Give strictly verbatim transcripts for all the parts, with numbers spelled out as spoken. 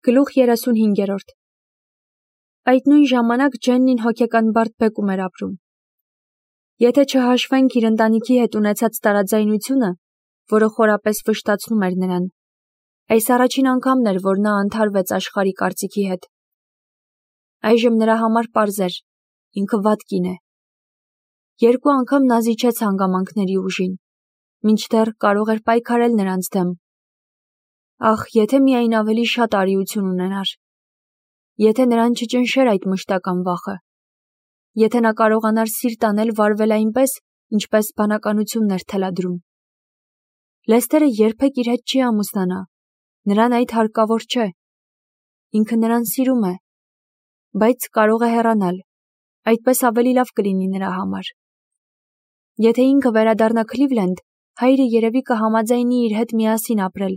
Գլուխ երեսունհինգերորդ Այդ նույն ժամանակ Ջեննին հոգեկան բարդ բեկում էր ապրում։ Եթե չհաշվենք իր ընտանիքի հետ ունեցած տարաձայնությունը, որը խորապես վշտացնում էր նրան, այս առաջին անգամն էր, որ նա ընդհարվեց աշխարհի կարծիքի հետ։ Այժմ նրա համար պարզ էր, ինքը վատ կին է։ Երկու անգամ նա զիջեց հանգամանքների ուժին, մինչդեռ կարող էր պայքարել նրանց դեմ։ Ախ, եթե միայն ավելի շատ արիություն ունենար։ Եթե նրան չճնշեր այդ մշտական վախը։ Եթե նա կարողանար սիրտ անել վարվել այնպես, ինչպես բանականությունն էր թելադրում։ Լեսթերը երբեք իր հետ չի ամուսնանա, նրան այդ հարկավոր չէ։ Ինքը նրան սիրում է, բայց կարող է հեռանալ, այդպես ավելի լավ կլինի նրա համար։ Եթե ինքը վերադառնա Քլիվլենդ, հայրը երևի կհամաձայնի իր հետ միասին ապրել։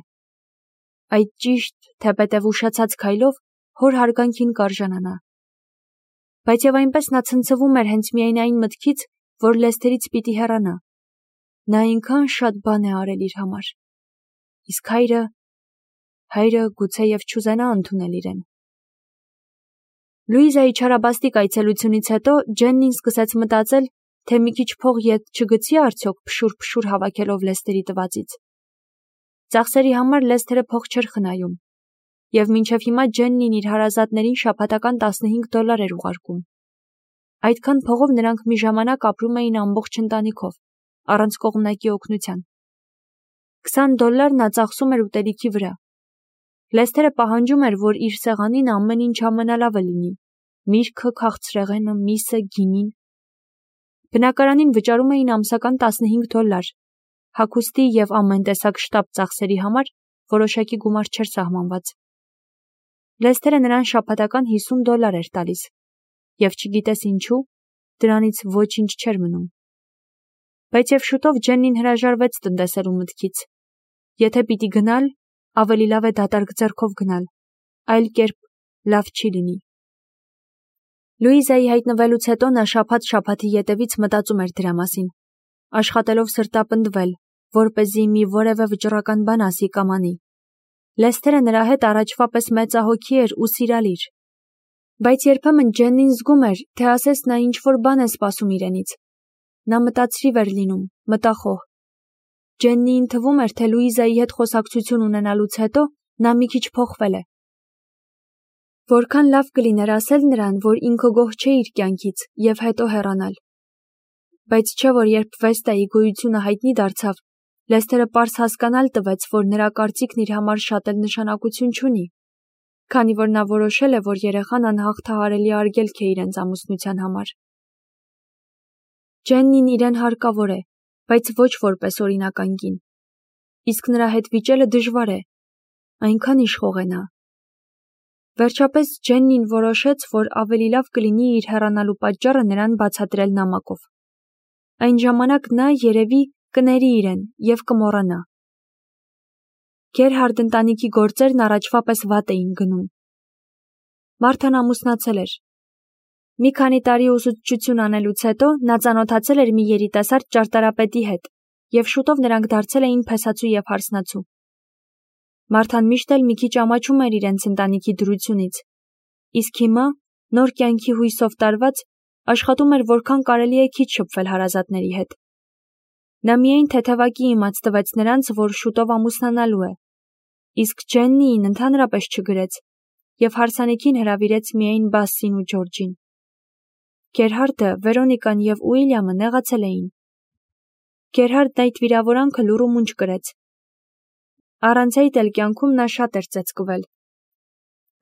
Այդ ճիշտ, թեպետև ուշացած քայլով հոր հարգանքին կարժանանա։ Բայց եւ այնպես նա ցնցվում էր հենց միայն այն մտքից, որ Լեսթերից պիտի հեռանա։ Նա այնքան շատ բան է արել իր համար։ Իսկ հայրը, հայրը գուցեև չուզենա ընդունել իրեն։ Լուիզայի չարաբաստիկ այցելությունից հետո Ջեննին սկսեց մտածել, թե մի քիչ փող ետ չգցի արդյոք փշուր-փշուր հավաքելով Լեսթերի տվածից։ Ծախսերի համար Լեսթերը փող չէր խնայում, եւ մինչև հիմա Ջեննին իր հարազատներին շաբաթական տասնհինգ դոլար էր ուղարկում։ Այդքան փողով նրանք մի ժամանակ ապրում էին ամբողջ ընտանիքով, առանց կողմնակի օգնության։ քսան դոլար նա ծախսում էր ուտելիքի վրա։ Լեսթերը պահանջում էր, որ իր սեղանին ամեն ինչ ամենալավը լինի՝ միրգը, քաղցրեղենը, միսը, գինին։ Բնակարանին վճարում էին ամսական տասնհինգ դոլար, հագուստի եւ ամեն տեսակ շտապ ծախսերի համար որոշակի գումար չէր սահմանված։ Լեսթերը նրան շաբաթական հիսուն դոլար էր տալիս, եւ չգիտես ինչու, դրանից ոչինչ չէր մնում։ Բայց եւ շուտով Ջեննին հրաժարվեց տնտեսելու մտքից։ Եթե պիտի գնալ, ավելի լավ է դատարկ ձեռքով գնալ, այլ կերպ լավ չի լինի։ Լուիզայի հայտնվելուց հետո նա շաբաթ-շաբաթի ետևից մտածում էր դրա մասին, աշխատելով սրտապնդվել, որպեսզի մի որևէ վճռական բան ասի կամ անի։ Լեսթերը նրա հետ առաջվա պես մեծահոգի էր ու սիրալիր։ Բայց երբեմն Ջեննին զգում էր, թե ասես նա ինչ-որ բան է սպասում իրենից։ Նա մտածրիվ էր լինում, մտախոհ։ Ջեննիին թվում էր, թե Լուիզայի հետ խոսակցություն ունենալուց հետո նա մի քիչ փոխվել է։ Որքան լավ կլիներ ասել նրան, որ ինքը գոհ չէ իր կյանքից եւ հետո հեռանալ։ Բայց չէ որ երբ Վեստայի գոյությունը հայտնի դարձավ, Լեսթերը պարզ հասկանալ տվեց, որ նրա կարծիքն իր համար շատ էլ նշանակություն չունի, քանի որ նա որոշել է, որ երեխան անհաղթահարելի արգելք է իրենց ամուսնության համար։ Ջեննին իրեն հարկավոր է, բայց ոչ որպես օրինական կին։ Իսկ նրա հետ վիճելը դժվար է, այնքան իշխող է նա։ Վերջապես Ջեննին որոշեց, որ ավելի լավ կլինի իր հեռանալու պատճառը նրան բացատրել նամակով։ Այն ժամանակ նա երևի կների իրեն եւ կմոռանա։ Գերհարդ ընտանիքի գործերն առաջվա պես վատ էին գնում։ Մարթան ամուսնացել էր։ Մի քանի տարի ուսուցչություն անելուց հետո նա ծանոթացել էր մի երիտասարդ ճարտարապետի հետ եւ շուտով նրանք դարձել էին փեսացու եւ հարսնացու։ Մարթան միշտ էլ մի քիչ ամաչում էր իրենց ընտանիքի դրությունից, իսկ հիմա, նոր կյանքի հույսով տարված, աշխատում էր որքան կարելի է քիչ շփվել հարազատների հետ։ Նա միայն թեթևակի իմաց տվեց նրանց, որ շուտով ամուսնանալու է, իսկ Ջեննիին ընդհանրապես չգրեց եւ հարսանիքին հրավիրեց միայն Բասսին ու Ջորջին։ Գերհարդը, Վերոնիկան եւ Ուիլյամը նեղացել էին։ Գերհարդն այդ վիրավորանքը լուռ ու մունջ կրեց։ Առանց այդ էլ կյանքում նա շատ էր ծեծկվել։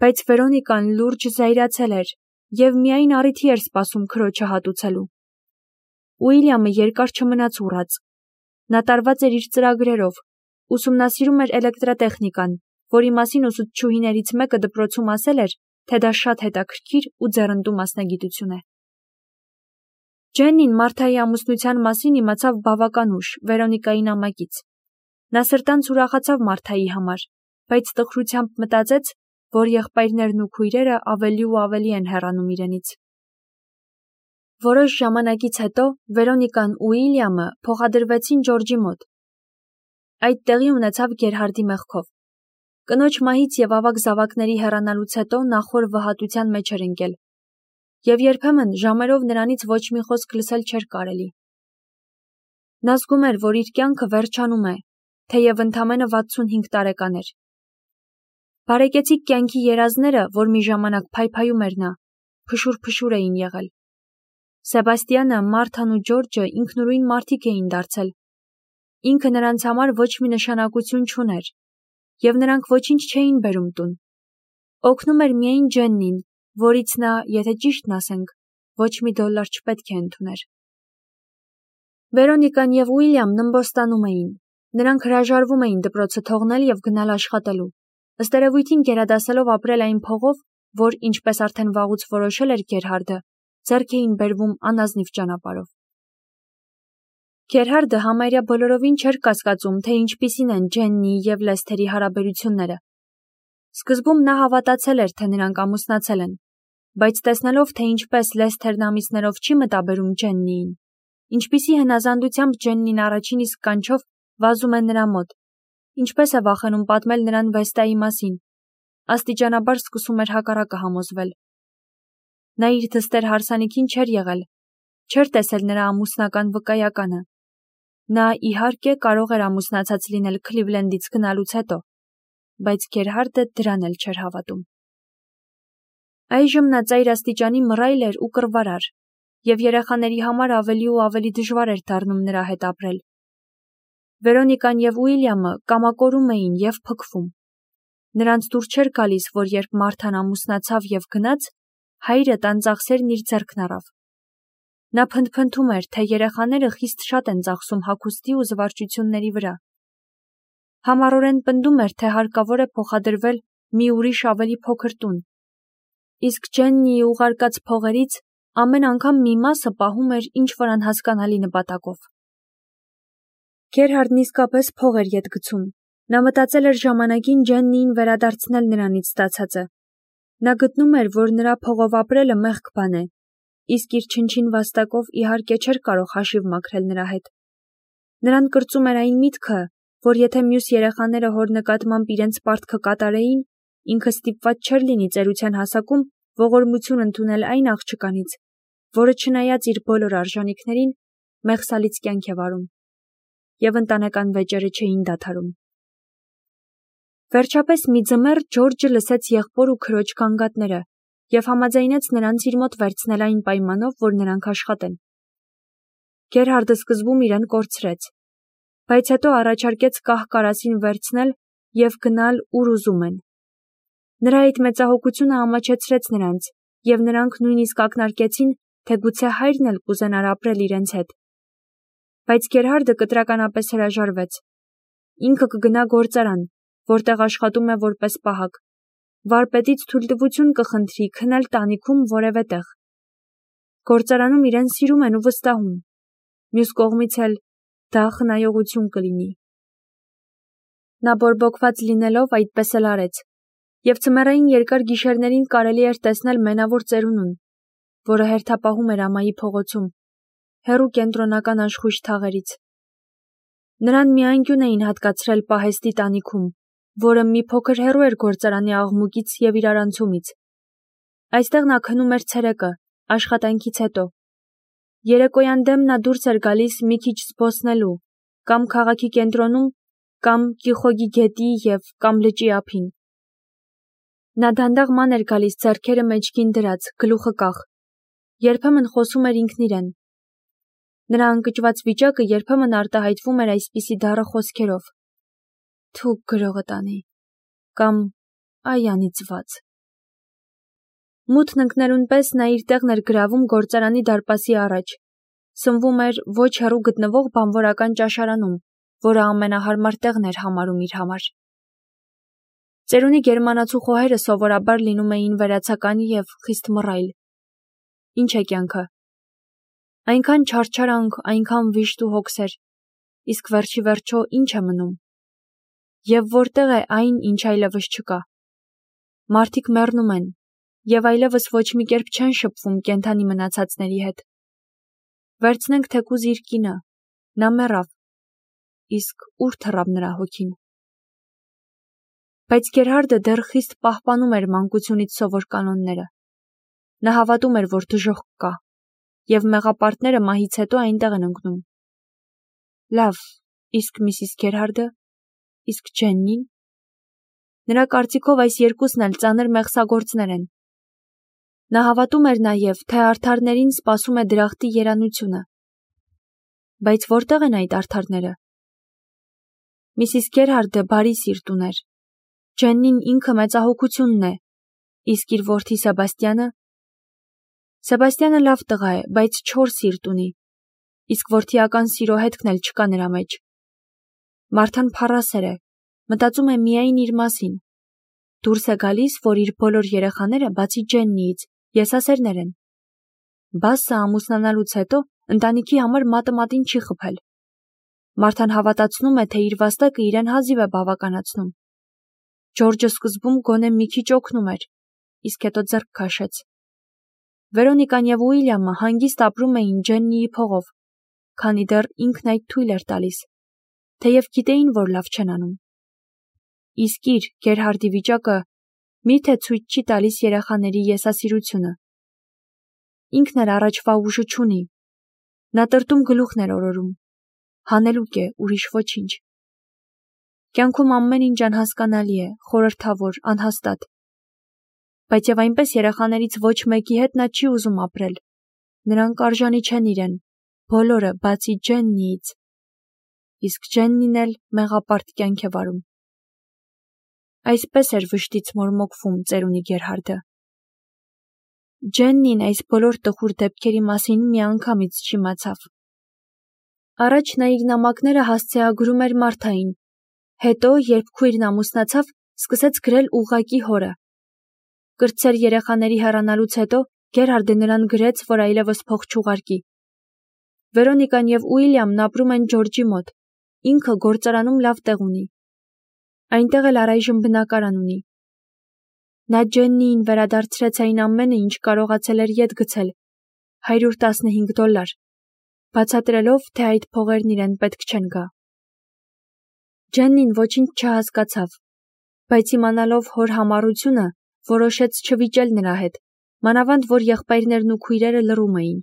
Բայց Վերոնիկան լուրջ զայրացել էր եւ միայն առիթի էր սպասում քրոջը հատուցելու։ Ուիլյամը երկար չմնաց ուռած։ Նա տարված էր իր ծրագրերով, ուսումնասիրում էր էլեկտրատեխնիկան, որի մասին ուսուցչուհիներից մեկը դպրոցում ասել էր, թե դա շատ հետաքրքիր ու ձեռնտու մասնագիտություն է։ Ջեննին Մարթայի ամուսնության մասին իմացավ բավական ուշ Վերոնիկայի նամակից։ Նա սրտանց ուրախացավ Մարթայի համար, բայց տխրությամբ մտածեց, որ եղբայրներն ու քույրերը ավելի ու ավելի են հեռանում իրենից։ Որոշ ժամանակից հետո Վերոնիկան ու Ուիլյամը փոխադրվեցին Ջորջի մոտ։ Այդ տեղի ունեցավ Գերհարդի մեղքով։ Կնոջ մահից և ավագ զավակների հեռանալուց հետո նա խոր վհատության մեջ էր ընկել, և երբեմն ժամերով նրանից ոչ մի խոսք լսել չէր կարելի։ Նա զգում էր, որ իր կյանքը վերջանում է, թեև ընդամենը վաթսունհինգ տարեկան էր։ Բարեկեցիկ կյանքի երազները, որ մի ժամանակ փայփայում էր նա, փշուր-փշուր էին եղել։ Սեբաստիանը, Մարթան ու Ջորջը ինքնուրույն մարդիկ էին դարձել։ Ինքը նրանց համար ոչ մի նշանակություն չուներ, և նրանք ոչինչ չէին բերում տուն։ Օգնում էր միայն Ջեննին, որից նա, եթե ճիշտն ասենք, ոչ մի դոլար չպետք է ընդուներ։ Վերոնիկան և Ուիլյամն ըմբոստանում էին։ Նրանք հրաժարվում էին դպրոցը թողնել և գնալ աշխատելու, ըստ երևույթին գերադասելով ապրել այն փողով, որ, ինչպես արդեն վաղուց որոշել էր Գերհարդը, ձեռք էին բերվում անազնիվ ճանապարհով։ Գերհարդը համարյա բոլորովին չէր կասկածում, թե ինչպիսին են Ջեննիի և Լեսթերի հարաբերությունները։ Սկզբում նա հավատացել էր, թե նրանք ամուսնացել են, բայց տեսնելով, թե ինչպես Լեսթերն ամիսներով չի մտաբերում Ջեննիին, ինչպիսի հնազանդությամբ Ջեննին առաջին իսկ կանչով վազում է նրա մոտ, ինչպես է վախենում պատմել նրան Վեստայի մասին, աստիճանաբար սկսում էր հակառակը համոզվել։ Նա իր դստեր հարսանիքին չէր եղել, չէր տեսել նրա ամուսնական վկայականը։ Նա, իհարկե, կարող էր ամուսնացած լինել Քլիվլենդից գնալուց հետո, բայց Գերհարդը դրան էլ չէր հավատում։ Այժմ նա ծայր աստիճանի մռայլ էր ու կռվարար, և երեխաների համար ավելի ու ավելի դժվար էր դառնում նրա հետ ապրել։ Վերոնիկան և Ուիլյամը կամակորում էին և փքվում։ Նրանց դուր չէր գալիս, որ երբ Մարթան ամուսնացավ և գնաց, հայրը տան ծախսերն իր ձեռքն առավ։ Նա փնթփնթում էր, թե երեխաները խիստ շատ են ծախսում հագուստի ու զվարճությունների վրա։ Համառորեն պնդում էր, թե հարկավոր է փոխադրվել մի ուրիշ ավելի փոքր տուն, իսկ Ջեննիի ուղարկած փողերից ամեն անգամ մի մասը պահում էր ինչ-որ անհասկանալի նպատակով։ Գերհարդն իսկապես փող էր ետ գցում։ Նա մտածել էր ժամանակին Ջեննիին վերադարձնել նրանից ստացածը։ Նա գտնում էր, որ նրա փողով ապրելը մեղք բան է, իսկ իր չնչին վաստակով իհարկե չէր կարող հաշիվ մաքրել նրա հետ։ Նրան կրծում էր այն միտքը, որ եթե մյուս երեխաները հոր նկատմամբ իրենց պարտքը կատարեին, ինքը ստիպված չէր լինի ծերության հասակում ողորմություն ընդունել այն աղջկանից, որը չնայած իր բոլոր արժանիքներին, մեղսալից կյանք է վարում, և ընտանեկան վեճերը չէին դադարում։ Վերջապես մի ձմեռ Ջորջը լսեց եղբոր ու քրոջ գանգատները և համաձայնեց նրանց իր մոտ վերցնել այն պայմանով, որ նրանք աշխատեն։ Գերհարդը սկզբում իրեն կորցրեց, բայց հետո առաջարկեց կահ կարասին վերցնել և գնալ, ուր ուզում են։ Նրա այդ մեծահոգությունը ամաչեցրեց նրանց, և նրանք նույնիսկ ակնարկեցին, թե գուցե հայրն էլ կուզենար ապրել իրենց հետ։ Բայց Գերհարդը կտրականապես հրաժարվեց։ Ինքը կգնա գործարան, որտեղ աշխատում է որպես պահակ, վարպետից թույլտվություն կխնդրի քնել տանիքում որևէ տեղ։ Գործարանում իրեն սիրում են ու վստահում, մյուս կողմից էլ դա խնայողություն կլինի։ Նա բորբոքված լինելով այդպես էլ արեց, և ձմեռային երկար գիշերներին կարելի էր տեսնել մենավոր ծերունուն, որը հերթապահում էր ամայի փողոցում, հեռու կենտրոնական աշխույժ թաղերից։ Նրան մի անկյուն էին հատկացրել պահեստի տանիքում, որը մի փոքր հեռու էր գործարանի աղմուկից և իրարանցումից։ Այստեղ նա քնում էր ցերեկը, աշխատանքից հետո։ Երեկոյան դեմ նա դուրս էր գալիս մի քիչ զբոսնելու, կամ քաղաքի կենտրոնում, կամ Կիխոգի գետի և կամ լճի ափին։ Նա դանդաղ ման էր գալիս ձեռքերը մեջքին դրած, գլուխը կախ, երբեմն խոսում էր ինքն իրեն։ Նրա ընկճված վիճակը երբեմն արտահայտվում էր այսպիսի դառը խոսքերով. «Թու գրողը տանի» կամ «Այ անիծված»։ Մութն ընկնելուն պես նա իր տեղն էր գրավում գործարանի դարպասի առաջ, սնվում էր ոչ հեռու գտնվող բանվորական ճաշարանում, որը ամենահարմար տեղն էր համարում իր համար։ Ծերունի գերմանացու խոհերը սովորաբար լինում էին վերացական և խիստ մռայլ։ Ինչ է կյանքը։ Այնքան չարչարանք, այնքան վիշտ ու հոգսեր, իսկ վերջի վերջո ինչ է մնում։ Եվ որտեղ է այն, ինչ այլևս չկա։ Մարդիկ մեռնում են, և այլևս ոչ մի կերպ չեն շփվում կենդանի մնացածների հետ։ Վերցնենք թեկուզ իր կինը, նա մեռավ, իսկ ուր թռավ նրա հոգին։ Բայց Գերհարդը դեռ խիստ պահպանում էր մանկությունից սովոր կանոնները։ Նա հավատում էր, որ դժոխք կա, և մեղապարտները մահից հետո այնտեղ են ընկնում։ Լավ, իսկ Միսիս Գերհարդը, իսկ Ջեննին։ Նրա կարծիքով այս երկուսն էլ ծանր մեղսագործներ են։ Նա հավատում էր նաև, թե արդարներին սպասում է դրախտի երանությունը։ Բայց որտեղ են այդ արդարները։ Միսիս Գերհարդը բարի սիրտ ուներ։ Ջեննին ինքը մեծահոգությունն է, իսկ իր որդի Սեբաստյանը։ Սեբաստյանը լավ տղա է, բայց չոր սիրտ ունի, իսկ որդիական սիրո հետքն էլ չկա նրա մեջ։ Մարթան փառասեր է, մտածում է միայն իր մասին։ Դուրս է գալիս, որ իր բոլոր երեխաները, բացի Ջեննիից, եսասերներ են։ Բասը ամուսնանալուց հետո ընտանիքի համար մատը մատին չի խփել։ Մարթան հավատացնում է, թե իր վաստակը իրեն հազիվ է բավականացնում։ Ջորջը սկզբում գոնե մի քիչ օգնում էր, իսկ հետո ձեռք քաշեց։ Վերոնիկան և Ուիլյամը հանգիստ ապրում էին Ջեննիի փողով, քանի դեռ ինքն այդ թույլ էր տալիս, թեև գիտեին, որ լավ չեն անում։ Իսկ իր Գերհարդի վիճակը միթե ցույց չի տալիս երեխաների եսասիրությունը։ Ինքն էլ առաջվա ուժը չունի։ Նա տրտում գլուխն էր օրորում։ Հանելուկ է, ուրիշ ոչինչ։ Կյանքում ամեն ինչ անհասկանալի է, խորհրդավոր, անհաստատ։ Բայց և այնպես երեխաներից ոչ մեկի հետ նա չի ուզում ապրել։ Նրանք արժանի չեն իրեն, բոլորը, բացի Ջեննիից։ Իսկ Ջեննին էլ մեղապարտ կյանք է վարում։ Այսպես էր վշտից մորմոքվում ծերունի Գերհարդը։ Ջեննին այս բոլոր տխուր դեպքերի մասին միանգամից չիմացավ։ Առաջ նա իր նամակները հասցեագրում էր Մարթային, հետո, երբ քույրն ամուսնացավ, սկսեց գրել ուղղակի հորը։ Կրտսեր երեխաների հեռանալուց հետո Գերհարդը նրան գրեց, որ այլևս փող չուղարկի։ Վերոնիկան և Ուիլյամն ապրում են Ջորջի մոտ, ինքը գործարանում լավ տեղ ունի։ Այնտեղ էլ առայժմ բնակարան ունի։ Նա Ջեննիին վերադարձրեց այն ամենը, ինչ կարողացել էր ետ գցել, հարյուր տասնհինգ դոլար, բացատրելով, թե այդ փողերն իրեն պետք չեն գա։ Ջեննին ոչինչ չհասկացավ, բայց իմանալով հոր համառությունը, որոշեց չվիճել նրա հետ, մանավանդ որ եղբայրներն ու քույրերը լռում էին։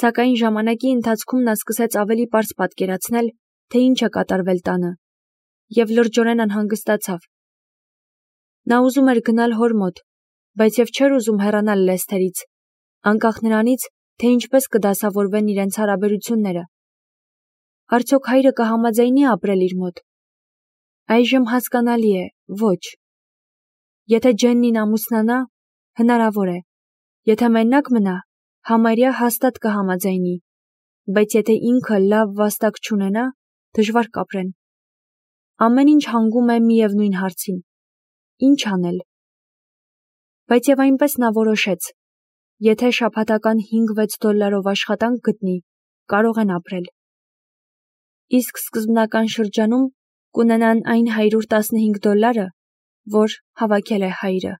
Սակայն ժամանակի ընթացքում նա սկսեց ավելի պարզ պատկերացնել, թե ինչ է կատարվել տանը, և լրջորեն անհանգստացավ։ Նա ուզում էր գնալ հոր մոտ, բայց և չէր ուզում հեռանալ Լեսթերից, անկախ նրանից, թե ինչպես կդասավորվեն իրենց հարաբերությունները։ Արդյոք հայրը կհամաձայնի ապրել իր մոտ։ Այժմ հասկանալի է, ոչ։ Եթե Ջեննին ամուսնանա, հնարավոր է։ Եթե մենակ մնա, համարյա հաստատ կհամաձայնի, բայց եթե ինքը լավ վաստակ չունենա, դժվար կապրեն։ Ամեն ինչ հանգում է միևնույն հարցին. ինչ անել։ Բայց և այնպես նա որոշեց. եթե շաբաթական հինգ-վեց դոլարով աշխատանք գտնի, կարող են ապրել։ Իսկ սկզբնական շրջանում կունենան այն հարյուր տասնհինգ դոլարը, որ հավաքել է հայրը։